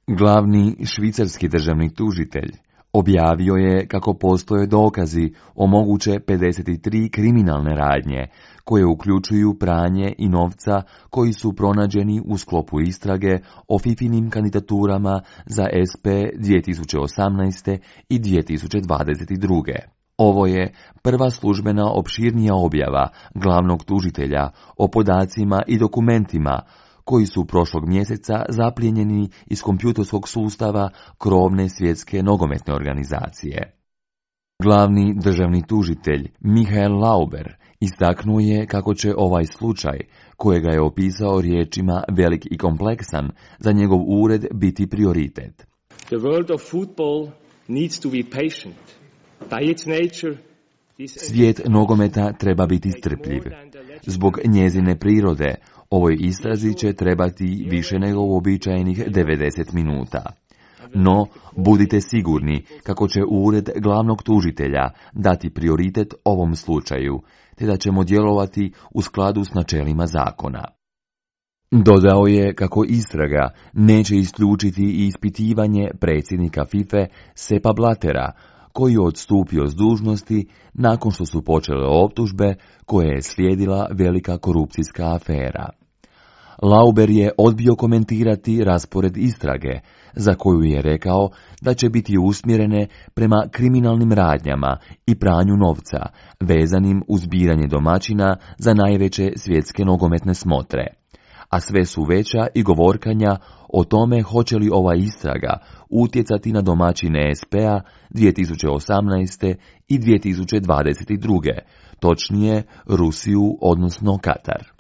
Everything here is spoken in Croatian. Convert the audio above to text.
Glavni švicarski državni tužitelj objavio je kako postoje dokazi o moguće 53 kriminalne radnje, koje uključuju pranje i novca koji su pronađeni u sklopu istrage o Fifinim kandidaturama za SP 2018. i 2022. Ovo je prva službena opširnija objava glavnog tužitelja o podacima i dokumentima koji su prošlog mjeseca zaplijenjeni iz kompjutorskog sustava krovne svjetske nogometne organizacije. Glavni državni tužitelj Michael Lauber istaknuo je kako će ovaj slučaj, kojega je opisao riječima velik i kompleksan, za njegov ured biti prioritet. The world of football needs to be patient. By its nature, Svijet nogometa treba biti strpljiv. Zbog njezine prirode, ovoj istrazi će trebati više nego uobičajenih 90 minuta. No, budite sigurni kako će ured glavnog tužitelja dati prioritet ovom slučaju, te da ćemo djelovati u skladu s načelima zakona. Dodao je kako istraga neće isključiti i ispitivanje predsjednika FIFA Seppa Blattera, koji je odstupio s dužnosti nakon što su počele optužbe koje je slijedila velika korupcijska afera. Lauber je odbio komentirati raspored istrage, za koju je rekao da će biti usmjerene prema kriminalnim radnjama i pranju novca, vezanim uz biranje domaćina za najveće svjetske nogometne smotre. A sve su veća i govorkanja o tome hoće li ova istraga utjecati na domaćine SP-a 2018. i 2022. Točnije Rusiju, odnosno Katar.